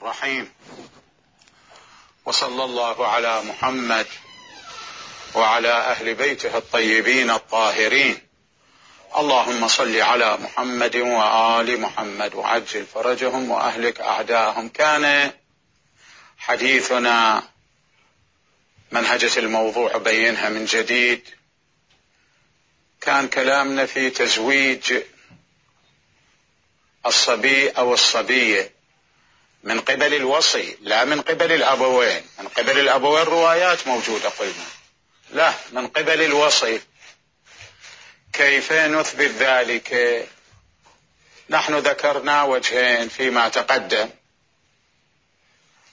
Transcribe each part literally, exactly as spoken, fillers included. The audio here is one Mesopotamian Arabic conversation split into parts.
الرحيم. وصلى الله على محمد وعلى أهل بيته الطيبين الطاهرين. اللهم صل على محمد وآل محمد وعجل فرجهم وأهلك أعداءهم. كان حديثنا منهجة الموضوع بينها من جديد، كان كلامنا في تزويج الصبي أو الصبية من قبل الوصي، لا من قبل الأبوين. من قبل الأبوين روايات موجودة قلنا، لا من قبل الوصي. كيف نثبت ذلك؟ نحن ذكرنا وجهين فيما تقدم،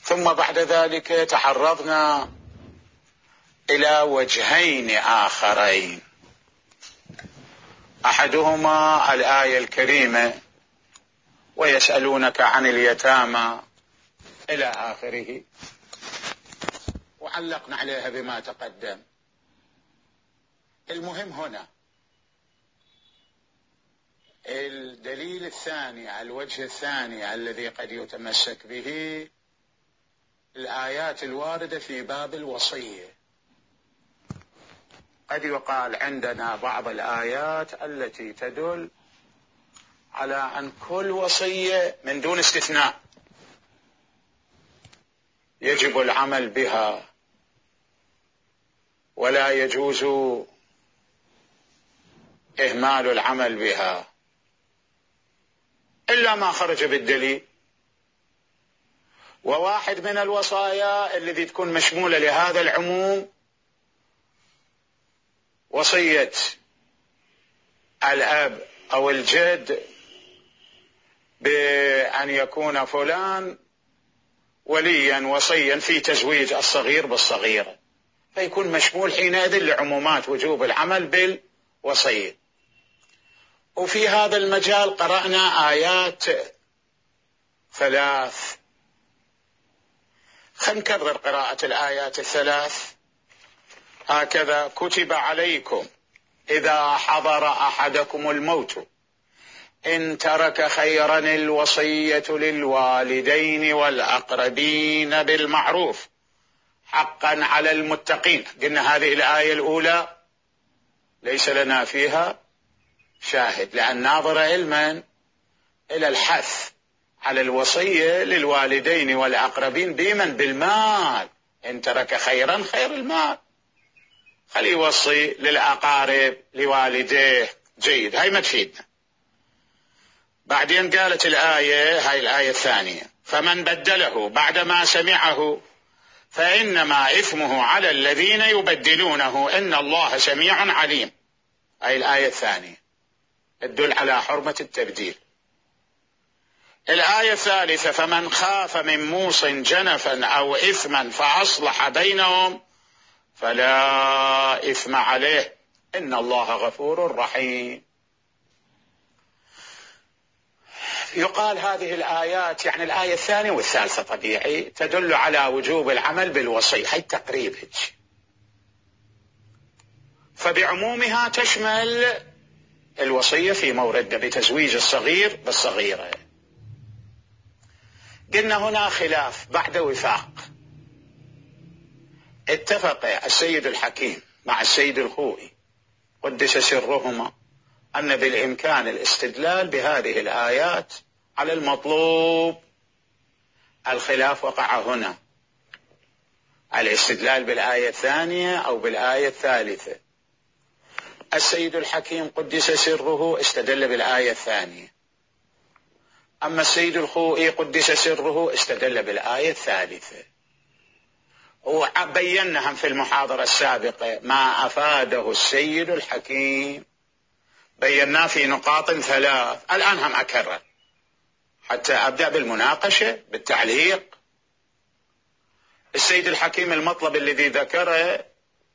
ثم بعد ذلك تعرضنا إلى وجهين آخرين. أحدهما الآية الكريمة: ويسألونك عن اليتامى إلى آخره، وعلقنا عليها بما تقدم. المهم هنا الدليل الثاني، الوجه الثاني الذي قد يتمسك به الآيات الواردة في باب الوصية. قد يقال عندنا بعض الآيات التي تدل على أن كل وصية من دون استثناء يجب العمل بها، ولا يجوز إهمال العمل بها إلا ما خرج بالدليل. وواحد من الوصايا الذي تكون مشمولة لهذا العموم وصية الأب أو الجد بأن يكون فلان وليا وصيا في تزويج الصغير بالصغيرة، فيكون مشمول حينئذ لعمومات وجوب العمل بالوصية. وفي هذا المجال قرأنا آيات ثلاث. خلينا نكرر قراءة الآيات الثلاث. هكذا: كتب عليكم إذا حضر أحدكم الموت إن ترك خيرا الوصية للوالدين والأقربين بالمعروف حقا على المتقين. قلنا هذه الآية الأولى ليس لنا فيها شاهد، لأن ناظر علما إلى الحث على الوصية للوالدين والأقربين بمن؟ بالمال. إن ترك خيرا خير المال، خلي يوصي للأقارب لوالديه، جيد، هاي ما تفيدنا. بعدين قالت الآية، هاي الآية الثانية: فمن بدله بعدما سمعه فإنما إثمه على الذين يبدلونه إن الله سميع عليم. هاي الآية الثانية تدل على حرمة التبديل. الآية الثالثة: فمن خاف من موص جنفا أو إثما فأصلح بينهم فلا إثم عليه إن الله غفور رحيم. يقال هذه الآيات، يعني الآية الثانية والثالثة طبيعي، تدل على وجوب العمل بالوصية، هي تقريب هيك، فبعمومها تشمل الوصية في موردنا بتزويج الصغير بالصغيرة. قلنا هنا خلاف بعد وفاق. اتفق السيد الحكيم مع السيد الخوئي قدس سرهما أن بالإمكان الاستدلال بهذه الآيات على المطلوب. الخلاف وقع هنا، الاستدلال بالآية الثانية أو بالآية الثالثة. السيد الحكيم قدس سره استدل بالآية الثانية، أما السيد الخوئي قدس سره استدل بالآية الثالثة. وبيناهم في المحاضرة السابقة ما أفاده السيد الحكيم، بيناه في نقاط ثلاث. الآن هم أكرر حتى أبدأ بالمناقشة بالتعليق. السيد الحكيم المطلب الذي ذكره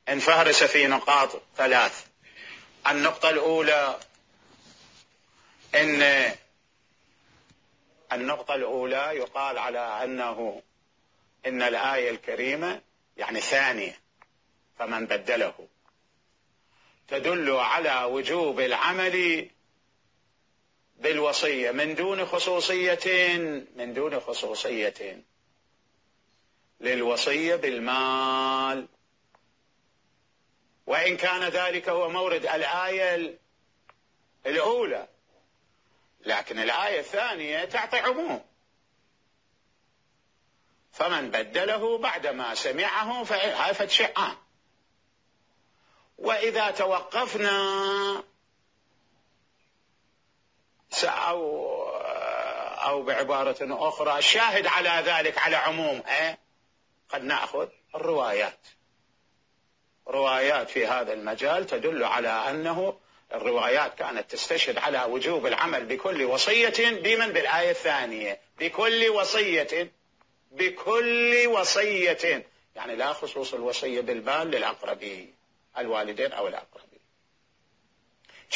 انفهرس في نقاط ثلاث. النقطة الأولى إن النقطة الأولى يقال على أنه إن الآية الكريمة يعني ثانية فمن بدله تدل على وجوب العمل بالوصية من دون خصوصية من دون خصوصية للوصية بالمال، وإن كان ذلك هو مورد الآية الأولى، لكن الآية الثانية تعطي عموم، فمن بدله بعدما سمعه فهي فتشيء عام. وإذا توقفنا أو أو بعبارة أخرى الشاهد على ذلك على عمومه، قد نأخذ الروايات روايات في هذا المجال تدل على أنه الروايات كانت تستشهد على وجوب العمل بكل وصية بمن بالآية الثانية، بكل وصية بكل وصية، يعني لا خصوص الوصية بالمال للأقربين الوالدين أو الأقربين.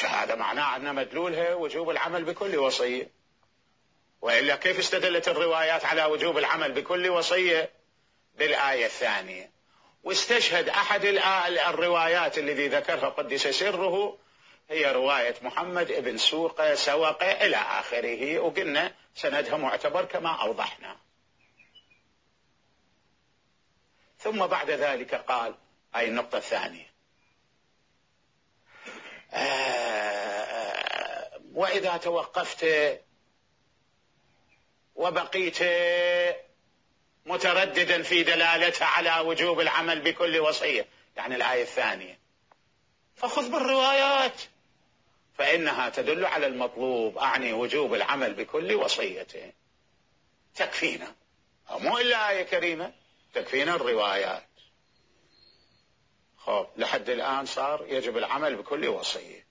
هذا معناه أن مدلولها وجوب العمل بكل وصية، وإلا كيف استدلت الروايات على وجوب العمل بكل وصية بالآية الثانية؟ واستشهد أحد الروايات الذي ذكرها قدس سره هي رواية محمد ابن سوق سوق إلى آخره، وقلنا سندها معتبر كما أوضحنا. ثم بعد ذلك قال أي النقطة الثانية آه وإذا توقفت وبقيت مترددا في دلالتها على وجوب العمل بكل وصية، يعني الآية الثانية، فخذ بالروايات فإنها تدل على المطلوب، أعني وجوب العمل بكل وصية، تكفينا، أو مو إلا آية كريمة تكفينا الروايات. خب لحد الآن صار يجب العمل بكل وصية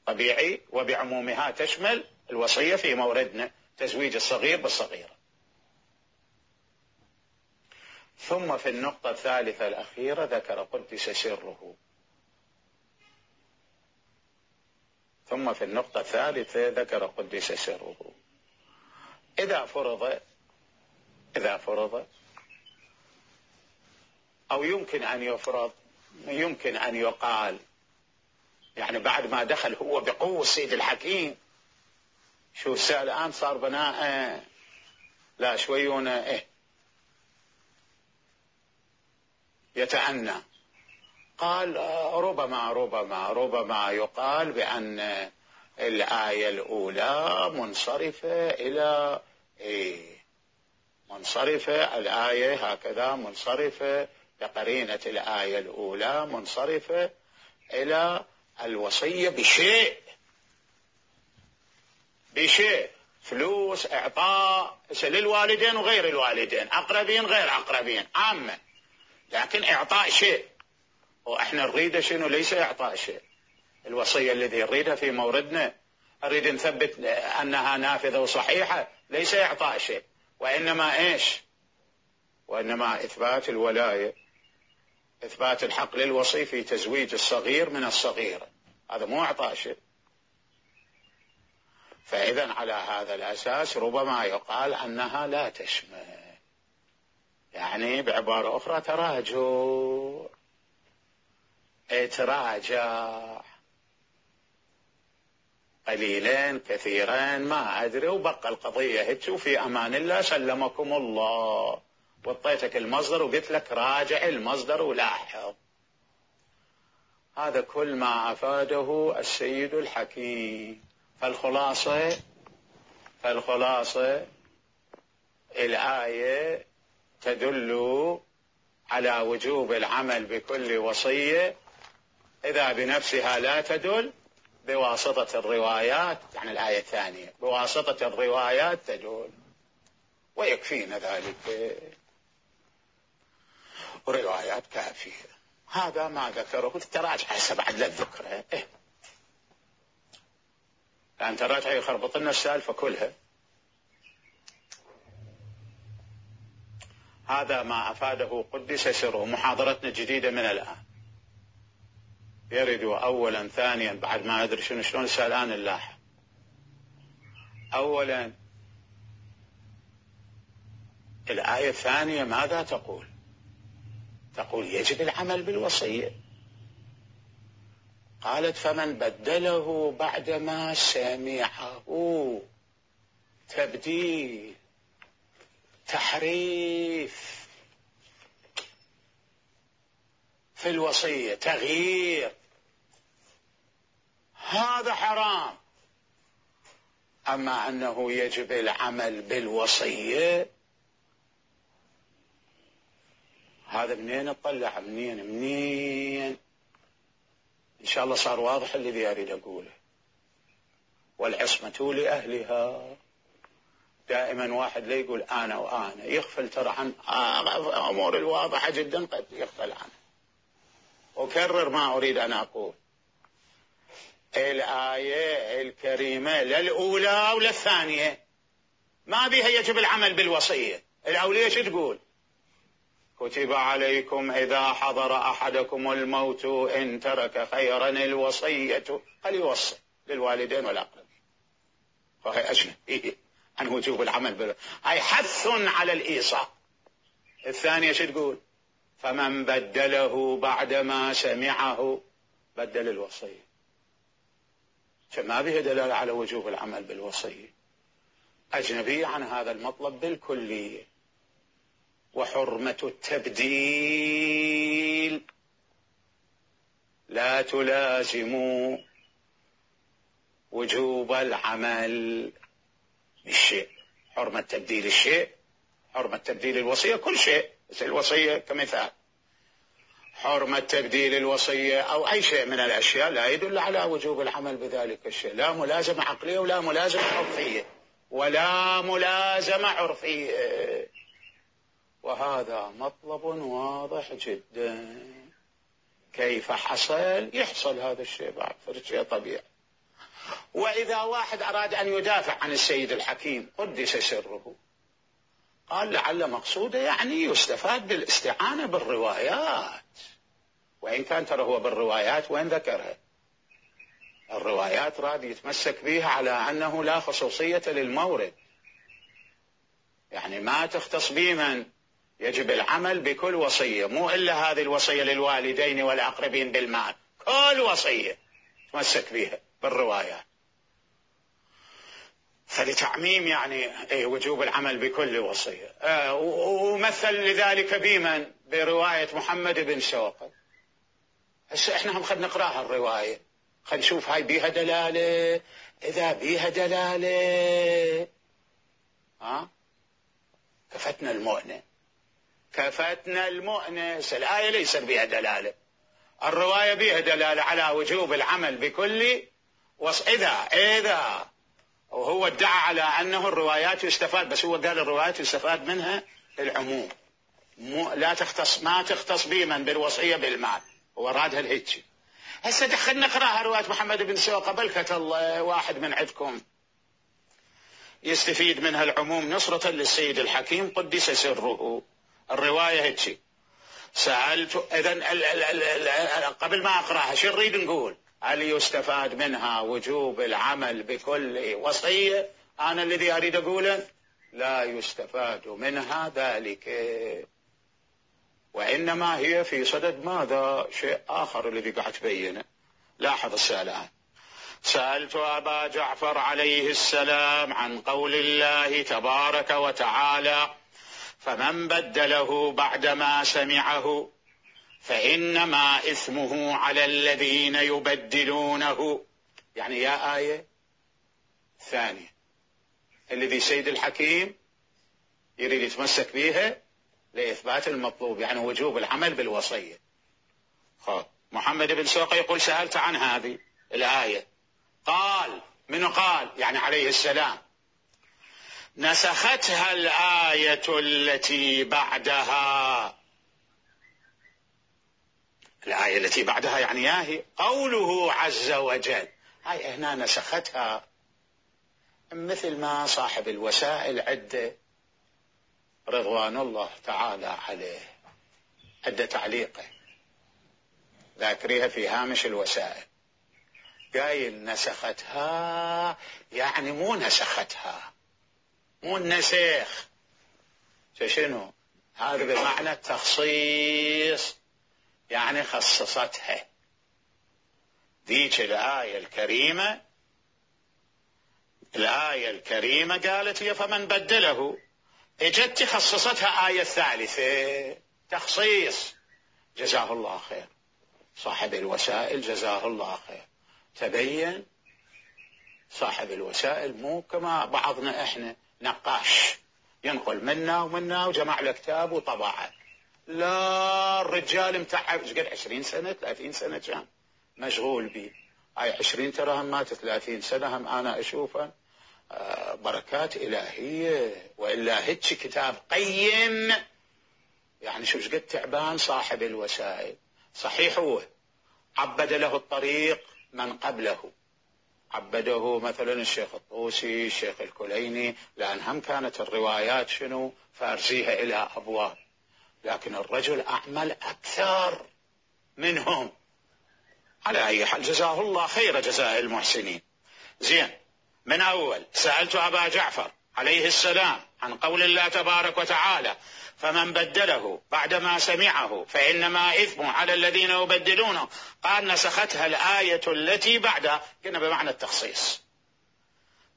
طبيعي، وبعمومها تشمل الوصية في موردنا تزويج الصغير بالصغيرة. ثم في النقطة الثالثة الأخيرة ذكر قدس سره ثم في النقطة الثالثة ذكر قدس سره إذا فرض إذا فرض أو يمكن أن يفرض، يمكن أن يقال، يعني بعد ما دخل هو بقوة السيد الحكيم، شو السؤال الآن صار بناء لا شويون إيه يتأنى، قال ربما ربما ربما يقال بأن الآية الأولى منصرفة إلى إيه منصرفة الآية هكذا منصرفة بقرينة الآية الأولى منصرفة إلى الوصية بشيء بشيء فلوس إعطاء للوالدين وغير الوالدين، أقربين غير أقربين عامة، لكن إعطاء شيء، وإحنا نريد شنو؟ ليس إعطاء شيء. الوصية الذي نريدها في موردنا نريد نثبت أنها نافذة وصحيحة، ليس إعطاء شيء، وإنما إيش؟ وإنما إثبات الولاية، إثبات الحق للوصي في تزويج الصغير من الصغيرة، هذا مو إعطاء شيء. فإذا على هذا الأساس ربما يقال أنها لا تشمل، يعني بعبارة أخرى تراجع، تراجع قليلين كثيرين ما أدري، وبقى القضية هيك، وفي أمان الله سلمكم الله، وطيتك المصدر وقلت لك راجع المصدر ولاحظ. هذا كل ما أفاده السيد الحكيم. فالخلاصة فالخلاصة الآية تدل على وجوب العمل بكل وصية، إذا بنفسها لا تدل بواسطة الروايات، يعني الآية الثانية بواسطة الروايات تدل، ويكفينا ذلك، وروايات كافية. هذا ما ذكره، تراجع هسه بعد لا تذكره، إيه لأن تراجع يخربط لنا السالفة كلها. هذا ما أفاده قدس سره. محاضرتنا جديدة من الآن، يرد أولا ثانيا بعد ما أدري شنو شلون الآن نلاحظ. أولا الآية الثانية ماذا تقول؟ تقول يجب العمل بالوصية. قالت فمن بدله بعدما سمعه. تبديل، تحريف في الوصية، تغيير، هذا حرام. أما أنه يجب العمل بالوصية، هذا منين اطلع؟ منين منين إن شاء الله صار واضح الذي أريد أقوله. والعصمة لأهلها. دائما واحد لا يقول أنا وأنا، يغفل ترى عن أمور الواضحة جدا قد يغفل عنها. أكرر ما أريد أن أقول. الآية الكريمة لا الأولى ولا الثانية ما بها يجب العمل بالوصية. الأولية شو تقول؟ كتب عليكم إذا حضر أحدكم الموت إن ترك خيرا الوصية فليوصي للوالدين والأقربين. فهي أجنبية عن وجوب العمل بالوصية، هاي حث على الإيصاء. الثانية شو تقول؟ فمن بدله بعدما سمعه بدل الوصية. فما بها دلالة على وجوب العمل بالوصية، أجنبية عن هذا المطلب بالكلية. وحرمة التبديل لا تلازم وجوب العمل بالشيء. حرمة تبديل الشيء، حرمة تبديل الوصية، كل شيء، بس الوصية كمثال. حرمة تبديل الوصية أو أي شيء من الأشياء لا يدل على وجوب العمل بذلك الشيء، لا ملازمة عقلية ولا ملازمة عرفية ولا ملازمة عرفية. وهذا مطلب واضح جدا. كيف حصل؟ يحصل هذا الشيء بعد، فالشيء طبيعي. وإذا واحد أراد أن يدافع عن السيد الحكيم قدس سره، قال لعل مقصوده يعني يستفاد بالاستعانة بالروايات، وإن كان ترى هو بالروايات وين ذكرها؟ الروايات راد يتمسك بها على أنه لا خصوصية للمورد، يعني ما تختص بمن يجب العمل بكل وصية، مو إلا هذه الوصية للوالدين والأقربين بالمال، كل وصية تمسك بها بالروايات. فلتعميم يعني ايه وجوب العمل بكل وصية. آه ومثل لذلك بمن؟ برواية محمد بن سوقة. هسه احنا هم خد نقراها الرواية، خد نشوف هاي بيها دلالة. إذا بيها دلالة ها كفتنا المؤنة، كفتنا المؤنة. الآية ليس بيها دلالة، الرواية بيها دلالة على وجوب العمل بكل وص... إذا إذا وهو ادعى على أنه الروايات يستفاد، بس هو قال الروايات يستفاد منها العموم، مو لا تختص، ما تختص بمن بالوصية بالمال، هو رادها الهيك. هسه دخلنا نقراها رواية محمد بن سوقة، بلكة الله واحد من عندكم يستفيد منها العموم نصرة للسيد الحكيم قدس سره. الرواية هيك. سألت إذن قبل ما أقراها شو نريد نقول؟ هل يستفاد منها وجوب العمل بكل وصية؟ أنا الذي أريد أقوله لا يستفاد منها ذلك، وإنما هي في صدد ماذا؟ شيء آخر الذي قاعد تبينه. لاحظ السؤال. سألت أبا جعفر عليه السلام عن قول الله تبارك وتعالى فمن بدله بعدما سمعه فإنما إثمه على الذين يبدلونه. يعني يا آية ثانية الذي سيد الحكيم يريد يتمسك بها لإثبات المطلوب، يعني وجوب العمل بالوصية. خب محمد بن سوقة يقول سألت عن هذه الآية، قال من قال يعني عليه السلام نسختها الآية التي بعدها. الآية التي بعدها يعني ياهي قوله عز وجل، هاي هنا نسختها، مثل ما صاحب الوسائل عدة رضوان الله تعالى عليه عدة تعليقه ذاكريها في هامش الوسائل، قايل نسختها يعني مو نسختها، مو النسخ، شنو هذا؟ بمعنى التخصيص، يعني خصصتها. ذيك الآية الكريمة الآية الكريمة قالت هي فمن بدله، اجت خصصتها آية ثالثة تخصيص. جزاه الله خير صاحب الوسائل، جزاه الله خير. تبين صاحب الوسائل مو كما بعضنا احنا نقاش ينقل منا ومنا وجمع له كتاب وطبعه. لا، الرجال متعب ايش قد عشرين سنة ثلاثين سنة كان مشغول بي. هاي عشرين ترى هم مات ثلاثين سنة هم انا اشوفها بركات الهية. والا هيك كتاب قيم يعني شو قد تعبان صاحب الوسائل. صحيح هو عبد له الطريق من قبله، عبده مثلا الشيخ الطوسي الشيخ الكليني، لأن هم كانت الروايات شنو فارزيها إلى أبواب، لكن الرجل أعمل أكثر منهم. على أي حال جزاه الله خير جزاء المحسنين. زين، من أول سألت أبا جعفر عليه السلام عن قول الله تبارك وتعالى فمن بدله بعدما سمعه فإنما إثم على الذين يبدلونه، قال نسختها الآية التي بعدها، كنا بمعنى التخصيص.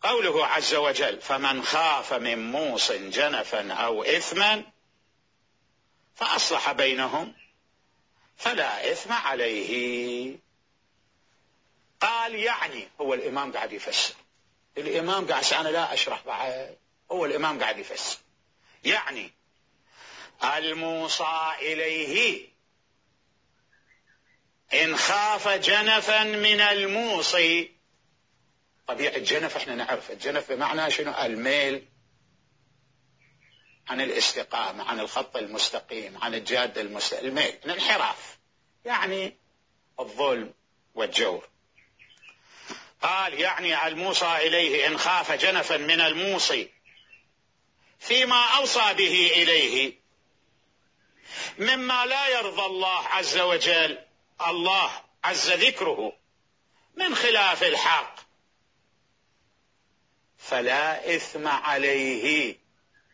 قوله عز وجل فمن خاف من موص جنفا أو إثما فأصلح بينهم فلا إثم عليه. قال يعني هو الإمام قاعد يفسر، الإمام قاعد، أنا لا أشرح بعد، هو الإمام قاعد يفسر. يعني الموصى إليه إن خاف جنفا من الموصي. طبيعة الجنف احنا نعرف الجنف بمعنى شنو، الميل عن الاستقامة، عن الخط المستقيم، عن الجادة المستقيم، الميل الانحراف يعني الظلم والجور. قال يعني الموصى إليه إن خاف جنفا من الموصي فيما أوصى به إليه مما لا يرضى الله عز وجل، الله عز ذكره، من خلاف الحق فلا إثم عليه.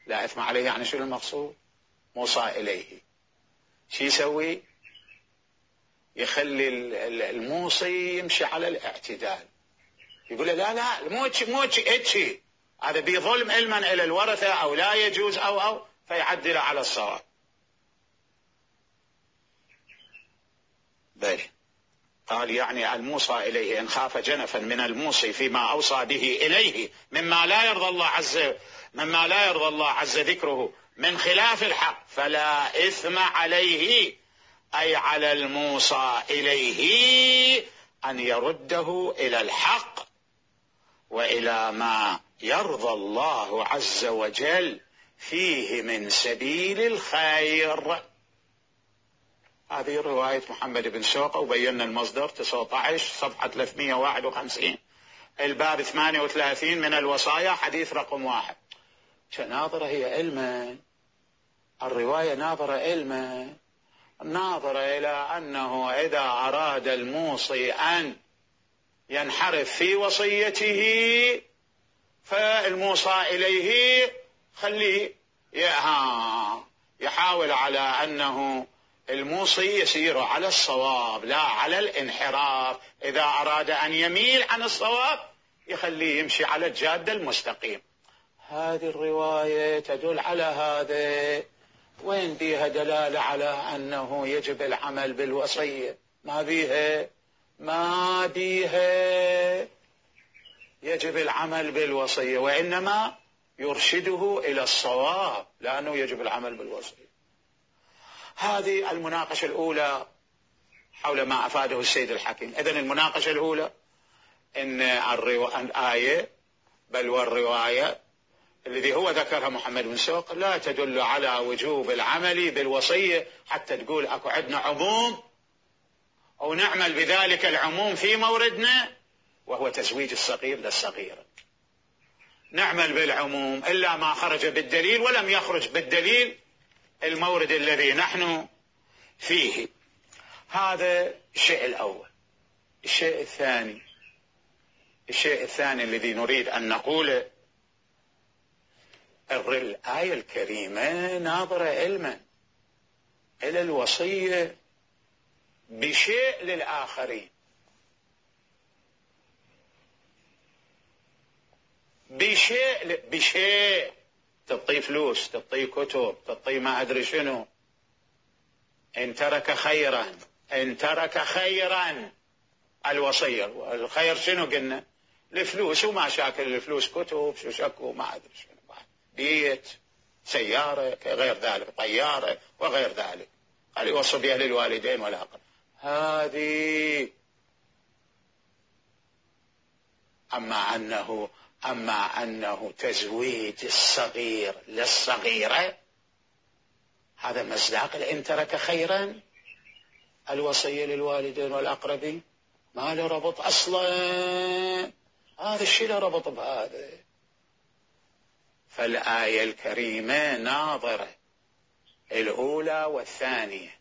لا إثم عليه يعني شو المقصود؟ موصى إليه شو يسوي؟ يخلي الموصي يمشي على الاعتدال، يقول له لا لا مو مو اتشي، هذا بظلم علما إلى الورثة أو لا يجوز أو أو فيعدل على الصواب. بلي. قال يعني الموصى إليه إن خاف جنفا من الموصي فيما أوصى به إليه مما لا يرضى الله عز مما لا يرضى الله عز ذكره من خلاف الحق فلا إثم عليه، أي على الموصى إليه أن يرده إلى الحق وإلى ما يرضى الله عز وجل فيه من سبيل الخير. هذه رواية محمد بن سوقة، وبينا المصدر تسعة عشر صفحة ثلاثمئة وواحد وخمسين الباب ثمانية وثلاثين من الوصايا حديث رقم واحد. ناظرة هي علما، الرواية ناظرة علما، ناظرة إلى أنه إذا أراد الموصي أن ينحرف في وصيته فالموصى إليه خليه يحاول على أنه الموصي يسير على الصواب لا على الانحراف. إذا أراد أن يميل عن الصواب يخليه يمشي على الجادة المستقيم. هذه الرواية تدل على هذا. وين بيها دلالة على أنه يجب العمل بالوصية؟ ما بيها ما بيها يجب العمل بالوصية، وإنما يرشده إلى الصواب لأنه يجب العمل بالوصية. هذه المناقشة الأولى حول ما أفاده السيد الحكيم. إذن المناقشة الأولى إن الآية بل والرواية الذي هو ذكرها محمد بن سوق لا تدل على وجوب العمل بالوصية حتى تقول أكو عندنا عموم أو نعمل بذلك العموم في موردنا وهو تزويج الصغير للصغيرة. نعمل بالعموم إلا ما خرج بالدليل، ولم يخرج بالدليل المورد الذي نحن فيه. هذا الشيء الأول. الشيء الثاني الشيء الثاني الذي نريد أن نقوله، الآية الكريمة ناظرة علما إلى الوصية بشيء للآخرين. بشيء بشيء تعطيه فلوس، تعطيه كتب، تعطيه ما أدري شنو. إن ترك خيرا، إن ترك خيرا الوصية. الخير شنو قلنا؟ الفلوس وما شاكل الفلوس، كتب شو شكو ما أدري شنو، بيت، سيارة، غير ذلك، طيارة وغير ذلك. قال يوصي بها للوالدين والأقرب. هذه أما أنه أما أنه تزويج الصغير للصغيرة، هذا مصداق إن ترك خيرا الوصية للوالدين والأقربين. ما له ربط أصلا، هذا الشيء له ربط بهذا. فالآية الكريمة ناظرة، الأولى والثانية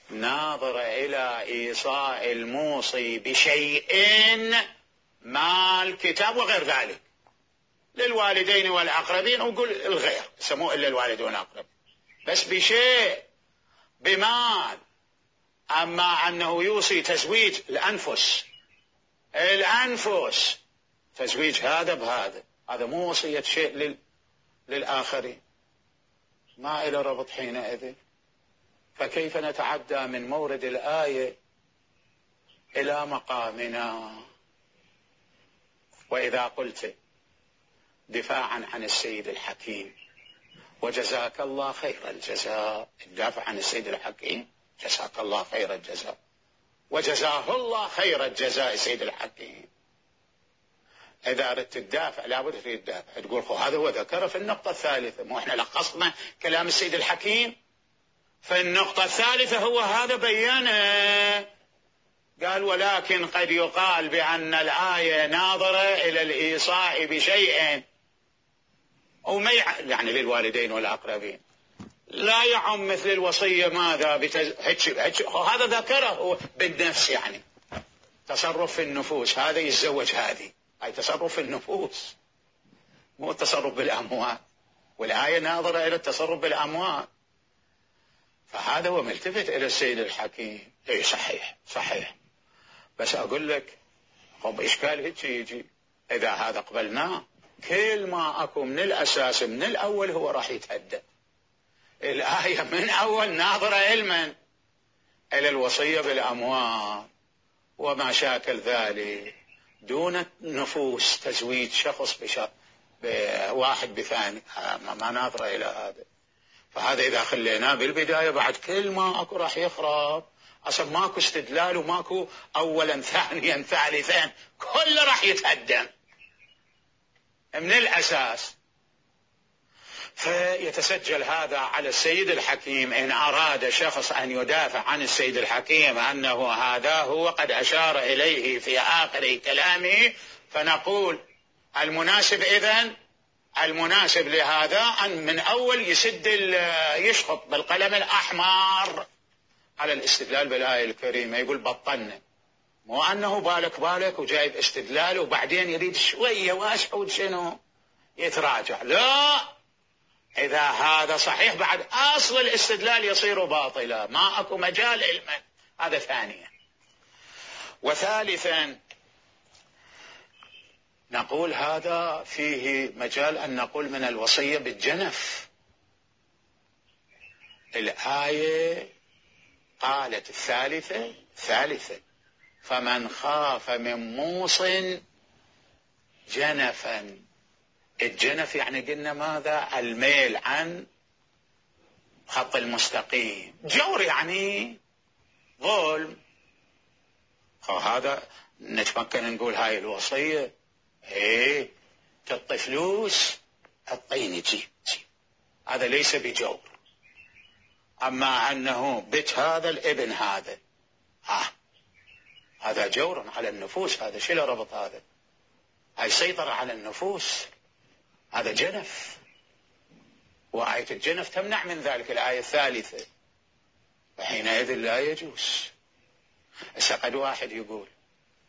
ناظرة إلى إيصاء الموصي بشيء ما الكتاب وغير ذلك للوالدين والأقربين، وقل الغير سموه إلا الوالدين والأقربين، بس بشيء بمال. أما أنه يوصي تزويج الأنفس، الأنفس تزويج هذا بهذا، هذا مو وصية شيء لل... للآخرين، ما إلى ربط حينئذ. فكيف نتعدى من مورد الآية إلى مقامنا؟ وإذا قلت دفاعا عن السيد الحكيم، وجزاك الله خير الجزاء، الدافع عن السيد الحكيم جزاك الله خير الجزاء، وجزاه الله خير الجزاء سيد الحكيم. إذا أردت الدافع لابد في الدافع تقول خو هذا هو ذكره في النقطة الثالثة، مو إحنا لخصنا كلام السيد الحكيم في النقطة الثالثة، هو هذا بيانه. قال ولكن قد يقال بأن الآية ناظرة إلى الإيصاء بشيء وما يعني للوالدين والأقربين، لا يعم مثل الوصية ماذا بتز... هتش... هتش... هذا ذكره هو بالنفس، يعني تصرف في النفوس، هذا يتزوج هذه، هاي تصرف في النفوس مو التصرف بالأموال، والآية ناظرة إلى التصرف بالأموال. فهذا هو ملتفت إلى السيد الحكيم. إيه صحيح صحيح، بس أقول لك طب إشكال هيك يجي إذا هذا قبلناه، كل ما أكو من الأساس من الأول هو راح يتهدى. الآية من أول ناظرة علما إلى الوصية بالأموال وما شاكل ذلك، دون نفوس تزويج شخص بواحد بثاني، ما ناظرة إلى هذا. فهذا إذا خليناه بالبداية بعد كل ما أكو راح يخرب، أصلا ماكو استدلال وماكو أولا ثانيا ثالثا، كله راح يتهدم من الأساس. فيتسجل هذا على السيد الحكيم إن أراد شخص أن يدافع عن السيد الحكيم أنه هذا هو قد أشار إليه في آخر كلامه، فنقول المناسب إذن المناسب لهذا أن من أول يسد يشخط بالقلم الأحمر على الاستدلال بالآية الكريمة، يقول بطلنا، مو أنه بالك بالك وجايب استدلال وبعدين يريد شوية واسعود شنو يتراجع. لا، إذا هذا صحيح بعد أصل الاستدلال يصير باطلا، ما أكو مجال علما. هذا ثانيا. وثالثا نقول هذا فيه مجال أن نقول من الوصية بالجنف. الآية قالت الثالثة ثالثة فمن خاف من موص جنفا. الجنف يعني قلنا ماذا؟ الميل عن خط المستقيم، جور يعني ظلم. هذا نتمكن نقول هاي الوصية ايه تعطي فلوس الطيني جيب جيب، هذا ليس بجور. أما أنه بيت هذا الابن هذا آه هذا جور على النفوس، هذا شيء له ربط، هذا هاي سيطرة على النفوس، هذا جنف، وآية الجنف تمنع من ذلك الآية الثالثة، فحينئذ لا يجوز. هسه قد واحد يقول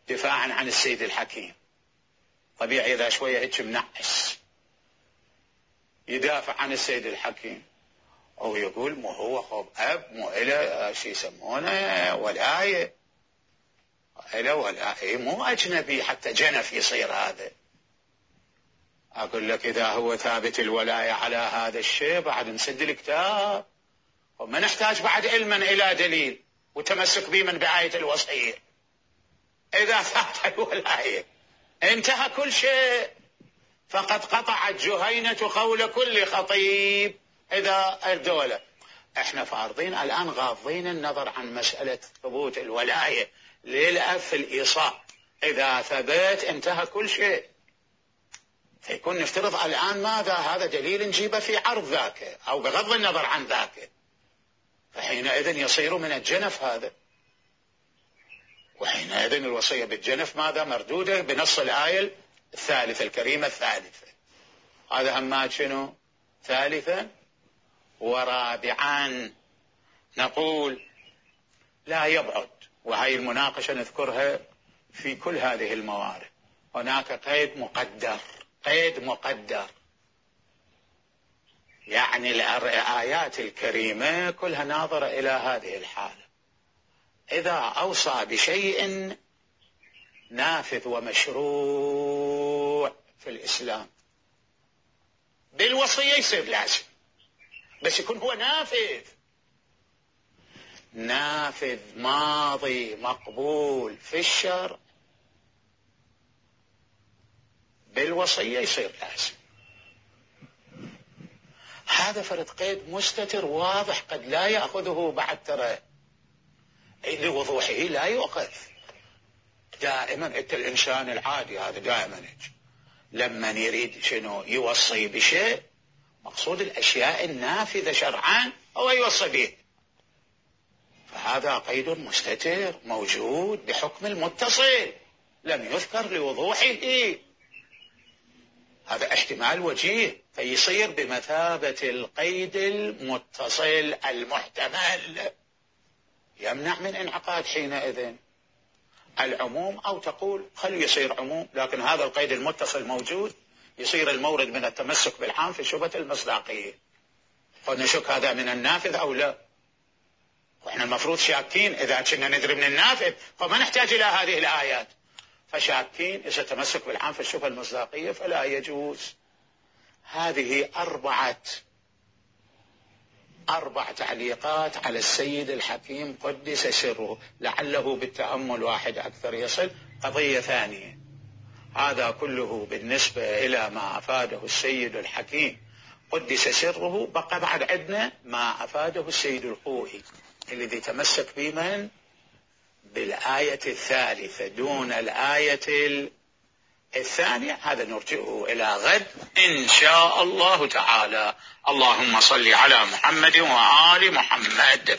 دفاعا عن السيد الحكيم، طبيعي إذا شوية هيك منعس يدافع عن السيد الحكيم، أو يقول مو هو خب أب مو إلى شي يسمونه ولاية، إلى ولاية مو أجنبي حتى جنف يصير هذا. أقول لك إذا هو ثابت الولاية على هذا الشيء بعد نسد الكتاب، وما نحتاج بعد علما إلى دليل وتمسك به من بآية الوصية. إذا ثابت الولاية انتهى كل شيء، فقد قطعت جهينة قول كل خطيب إذا الدولة. احنا فارضين الآن غاضين النظر عن مسألة ثبوت الولاية للأب في الإيصاء. إذا ثبت انتهى كل شيء، فيكون نفترض الآن ماذا؟ هذا دليل نجيبه في عرض ذاك أو بغض النظر عن ذاك، فحينئذ يصير من الجنف هذا، وحينئذ الوصية بالجنف ماذا؟ مردودة بنص الآية الثالثة الكريمة الثالثة. هذا همات شنو؟ ثالثا. ورابعا نقول لا يبعد، وهي المناقشة نذكرها في كل هذه الموارد، هناك قيد مقدر، قيد مقدر، يعني الآيات الكريمة كلها ناظرة إلى هذه الحالة. إذا أوصى بشيء نافذ ومشروع في الإسلام بالوصية يصير لازم، بس يكون هو نافذ، نافذ ماضي مقبول في الشرع، بالوصية يصير لازم. هذا فرد قيد مستتر واضح قد لا يأخذه بعد، ترى لوضوحه لا يؤخذ. دائما انت الإنسان العادي هذا دائما لما يريد شنو يوصي بشيء مقصود الأشياء النافذة شرعا هو يوصي به، فهذا قيد مستتر موجود بحكم المتصل لم يذكر لوضوحه، هذا احتمال وجيه، فيصير بمثابة القيد المتصل المحتمل، يمنع من انعقاد حينئذ العموم، أو تقول خلوا يصير عموم لكن هذا القيد المتصل موجود، يصير المورد من التمسك بالعام في شبهة المصداقية، فنشك هذا من النافذ أو لا، وإحنا المفروض شاكين إذا كنا ندري من النافذ فما نحتاج إلى هذه الآيات، فشاكين إذا تمسك بالعام في الشبهة المصداقية فلا يجوز. هذه أربعة أربع تعليقات على السيد الحكيم قدس سره، لعله بالتأمل واحد أكثر يصل. قضية ثانية، هذا كله بالنسبة إلى ما أفاده السيد الحكيم قدس سره، بقى بعد عندنا ما أفاده السيد الخوئي الذي تمسك بمن بالآية الثالثة دون الآية الثانية، هذا نرجئه إلى غد إن شاء الله تعالى. اللهم صل على محمد وآل محمد.